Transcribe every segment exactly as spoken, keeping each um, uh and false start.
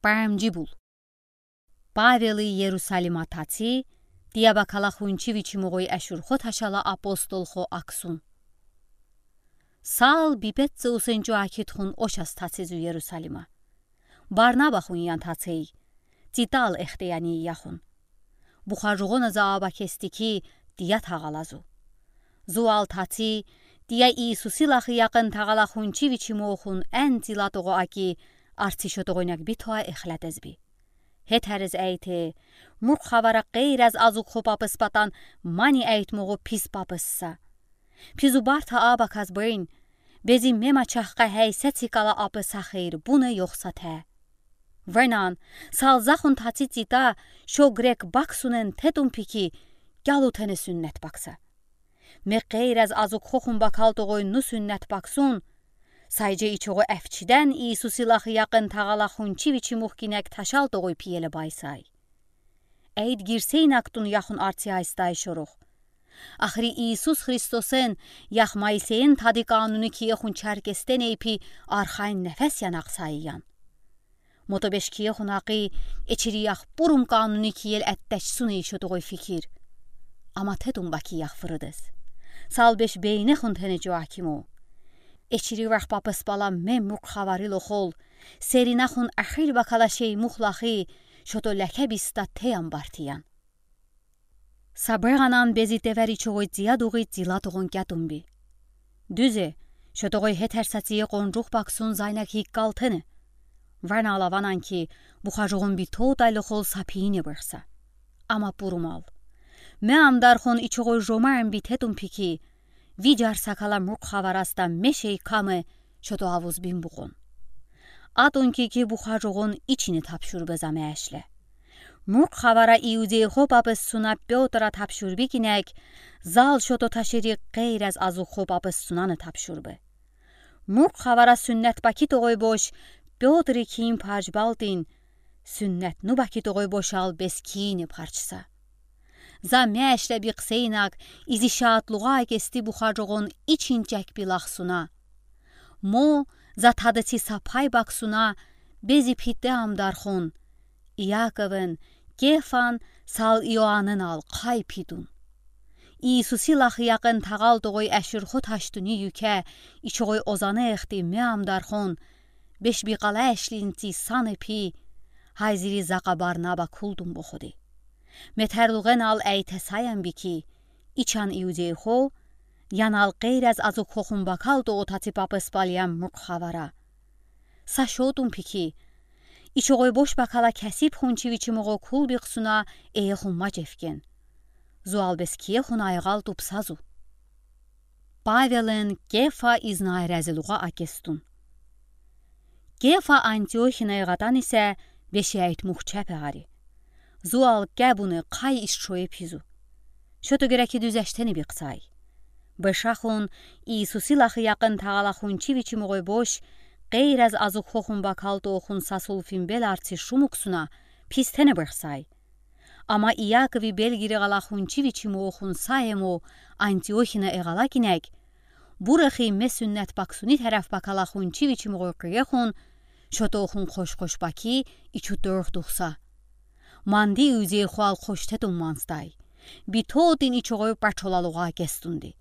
Паамджи бул. Павелый Иерусалима таци, тия бакала хунчи вичимугой ашурхо ташала апостолхо аксун. Сал бипец усенчу акитхун ошас таци зу Иерусалима. Барнаба хун ян тацей, Титал эхтеяни яхун. Бухажугона заба кести ки, тия тагала зу. Зуал таци, тия Иисуси лахи якын тагала хунчи вичимугохун эн тила того аки, арци шотогойнак битоа эхлятезби. Хетарез эйте, мурк хавара кайраз азук хопапыс патан мани эйтмугу пис папысса. Пизу барта абаказ бын, бези мема чахка хей сецикала апыса хейр буны ёхсате. Венан, салзахун таци Тита, шо грек баксунен тетум пики, гялу тене сюннет бакса. Ме кайраз азук хохун бакал тогой ну сюннет баксун, сайже ичого эфчиден Иисуси лахи якын тагала хунчи вичимух кинек ташал тогой пиеле байсай. Эйд гирсейнактун яхун арци айстай шорух. Ахри Иисус Христосен ях Моисейин тади кануни киехун чаркестен эйпи архайн нефес янаксай ян. Мотобеш киехун акы эчири ях пурум кануни киел эттечсуни шотогой фикир. Ама тетум баки ях фырыдыз. Салбеш бейнехун тенечу акиму. Эчири вах папыс пала ме мурк хаварил охол, серинахун ахил бакала шей мух лахи, шото леке биста теям бартиян. Саберанан бези тевери чогой тия дугы тила тогон кятумби. Дузе, шотогой хетер сатие конжух баксун зайнак хиккал тене. Варна алаванан ки, бухажугун битоу тайлы хол сапиине бырса. Ама пурумал. Ме амдархон ичогой жомаем битетум пики, виджар сакала мурк хавараста мешей каме, шото авуз бин букон. Атун ки ки бухажугун ичине тапшур бе заме эшле. Мурк хавара иудей хопапыс суна Пётра тапшур бикинек, зал шото ташери кайраз азук хопапыс сунаны тапшур бе. Мурк хавара сюннет баки тогой бош, Пётри киин парч балтин, сюннет ну баки тогой бошал бес киине парчса. За мешле биксейнак, изи шатлуга кести бухажугун ичин чек билахсуна. Мо, за тадыци сапай баксуна, бези пите амдархон. Иаковын, Кефан, сал Иоаннын ал кай питун. Иисуси лахи якын тагал тогой эширхо таштуни юке, ичогой озаны эхти ме амдархон, беш бикала эшлинци саны пи, хайзири зака Барнаба кулдун боходи. Метерлуген ал эйте саян бики, ичан иудей хо, ян ал кайраз азук хохун бакал того таци папыс палиян мурк хавара. Са шотун пики, ичогой бош бакала кесип хунчи вичимуго кул биксуна эехун мачевкен. Зуал бес киехун айгал тупсазу. Павелын Кефа изнай разилуга акестун. Кефа Антиохина эгатан исе беши айтмух чапе ари. Зуал кябуны кай исшое пизу. Шото гереки дюзештени биксай. Бешахун Иисуси лахи якын тагала хунчи вичимугой бош, кайраз азук хохун бакал тоохун сасул фимбел арци шумуксуна пистене бырсай. Ама Иакови белгири гала хунчи вичимугохун саему Антиохина эгала кинек, бурахи ме сюннет баксуни тараф бакала хунчи вичимугой кыехун, шотоохун хош-хош баки ичу тӧрх тухса. Манди иудей хуал хоштетун манстай. Битотын ичогой пачолалуга кестунди.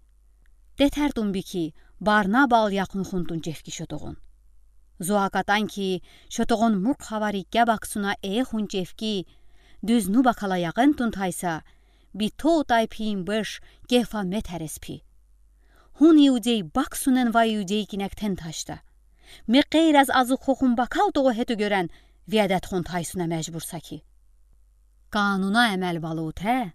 Тетертун бики, Барнабал якун хунтун чевки шотогон. Зуакатан ки, шотогон мурк хавари кябаксуна эехун чевки, дюз ну бакала ягентун тайса, битоу тай пиин беш Кефа метерес пи. Хун иудей баксунен ва иудей кинектен ташта. Ме кайраз азук хохун бакал того хету гёрен, виадет хун тайсуна межбурса ки. Кануна эмел балу те,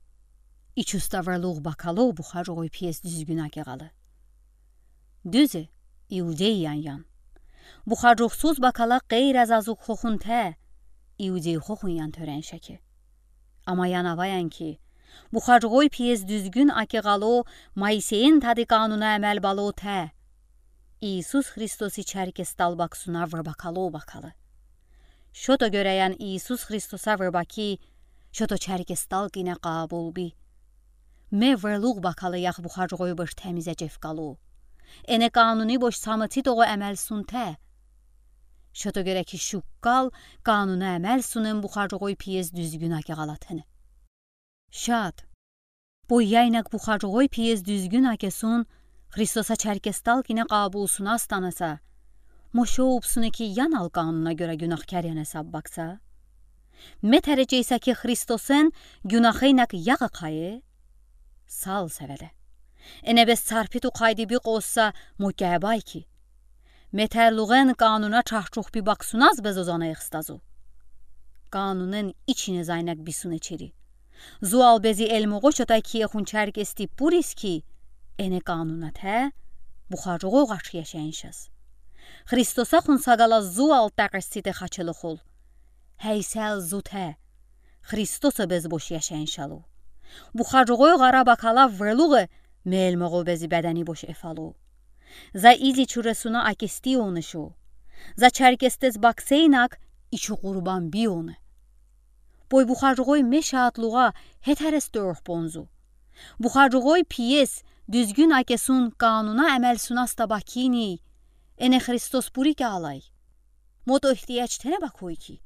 ичуста верлуг бакалу бухаржугой пиес дюзгюн акегалы. Дюзе, иудей ян-ян. Бухаржугсуз бакала кайраз азук хохун те, иудей хохун ян тёрен шеки. Ама ян аваян ки, бухаржугой пиес дюзгюн акегалу Моисейин тади кануна эмел балу те. Иисус Христоси чаркестал баксуна вер бакалу бакалы. Шото гёраян Иисус Христоса вер баки, шото чаркестал кине кабул би. Ме верлуг бакалы ях бухаржугой беш темизе чевкалу. Эне кануни бош самыци того эмел сунте. Şoto göre ki, şukkal kanuna əməl sunen buxacoğoy piyes düzgün akeğal atene. Şat, bo yəynək buxacoğoy piyes düzgün akesun, Xristosə çərkes talkinə qabulsunə, astanəsə, mo şoupsune ki, yanal kanuna görə günahkar yəni səbbəksə? Metərəcəysə ki, Xristosen günaheynək yəği qaye? Sal səvədə. Enə bəs çarpıtu qaydı biqosə, mo kəbay ki, metərluğen kanuna çax-çok bibəksunəz bəzozanə ixstəzu. Kanunen içinə zəynək bisune çeri. Zual bəzi elmoğo çotə kiyəxun çərkesti puriz ki, enə kanunətə, buxacoğoy ğaç yaşayınşəz. Xristosəxun səqələ zual təqəssitə xaçəloxol. Həysəl zutə, Xristosə bəz boş yaşayınşəlo. Buxacoğoy ğarabəkələ vırluğe, melmoğo bəzi bədəni boş efəlo. Zə izi çurəsunə akesti onışo. Zə çərkestəz bəkseynək içi qurban biyone. Boy buxacoğoy meşəatluğa hetərəs dörx bonzu. Buxacoğoy piyes düzgün akesun kanuna əməl sunəstə bəkini, enə Xristos buri ki alay. Moto ihtiyac tenə bəkoy ki,